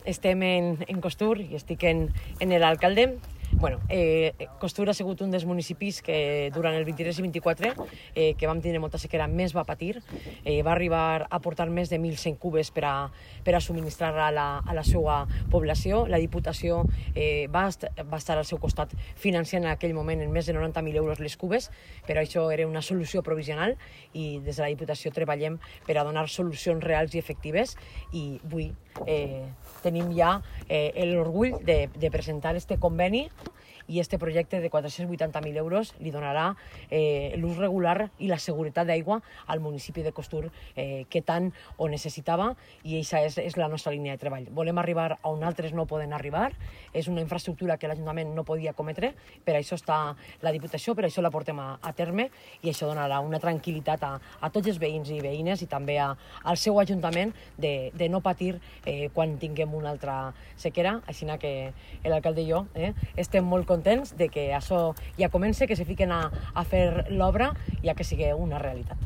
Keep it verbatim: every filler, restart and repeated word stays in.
Estem en, en Costur i estic en, en l'alcalde. Bueno, eh, Costur ha sigut un dels municipis que durant el vint-i-tres i vint-i-quatre, eh, que vam tenir molta sequera, més va patir. Eh, va arribar a portar més de mil cent cubes per a, per a subministrar a la, a la seva població. La Diputació eh, va, est va estar al seu costat financiant en aquell moment en més de noranta mil euros les cubes, però això era una solució provisional i des de la Diputació treballem per a donar solucions reals i efectives i avui eh, tenim ja eh, l'orgull de, de presentar este conveni i este projecte de quatre-cents vuitanta mil euros li donarà eh, l'ús regular i la seguretat d'aigua al municipi de Costur eh, que tant ho necessitava i aquesta és, és la nostra línia de treball. Volem arribar on altres no poden arribar, és una infraestructura que l'Ajuntament no podia cometre, per això està la Diputació, per això la portem a, a terme i això donarà una tranquil·litat a, a tots els veïns i veïnes i també a, al seu Ajuntament de, de no patir eh, quan tinguem una altra sequera, així que l'alcalde i jo eh, estem molt contents de que això ja comença, que se fiquen a, a fer l'obra ja que sigui una realitat.